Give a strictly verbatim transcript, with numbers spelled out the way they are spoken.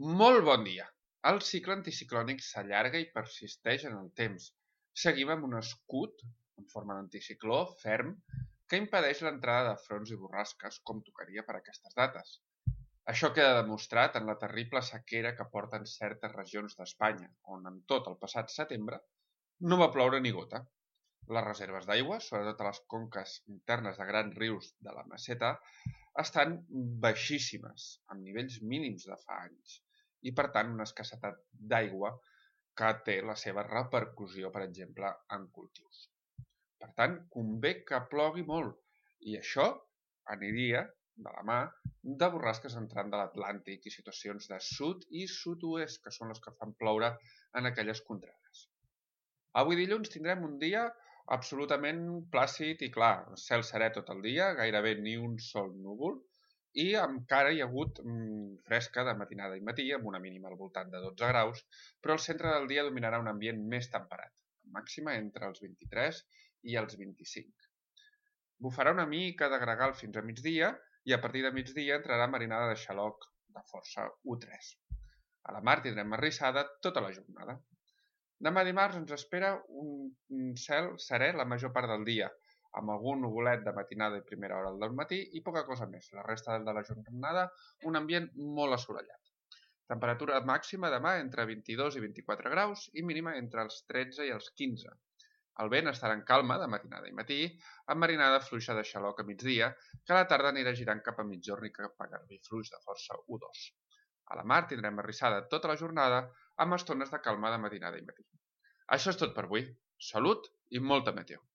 Molt bon dia! El cicle anticiclònic s'allarga i persisteix en el temps. Seguim amb un escut, en forma d'anticicló, ferm, que impedeix l'entrada de fronts i borrasques, com tocaria per aquestes dates. Això queda demostrat en la terrible sequera que porten certes regions d'Espanya, on en tot el passat setembre no va ploure ni gota. Les reserves d'aigua, sobretot a les conques internes de grans rius de la meseta, estan baixíssimes, amb nivells mínims de fa anys, i per tant una escassetat d'aigua que té la seva repercussió, per exemple, en cultius. Per tant, convé que plogui molt, i això aniria de la mà de borrasques entrant de l'Atlàntic i situacions de sud i sud-oest, que són les que fan ploure en aquelles contrades. Avui dilluns tindrem un dia absolutament plàcid i clar, cel serè tot el dia, gairebé ni un sol núvol, i encara hi ha hagut mm, fresca de matinada i matí, amb una mínima al voltant de dotze graus, però al centre del dia dominarà un ambient més temperat, màxima entre els vint-i-tres i els vint-i-cinc. Bufarà una mica de gregal fins a migdia, i a partir de migdia entrarà marinada de xaloc de força u tres. A la mar tindrem marrissada tota la jornada. Demà dimarts ens espera un cel serè la major part del dia, amb algun nuvolet de matinada i primera hora del matí i poca cosa més. La resta de la jornada, un ambient molt assolellat. Temperatura màxima demà entre vint-i-dos i vint-i-quatre graus i mínima entre els tretze i els quinze. El vent estarà en calma de matinada i matí, amb marinada fluixa de xaloc a migdia, que a la tarda anirà girant cap a mitjorn i cap a garbí fluix de força u dos. A la mar tindrem arrissada tota la jornada, amb estones de calma de matinada i matí. Això és tot per avui. Salut i molta meteo!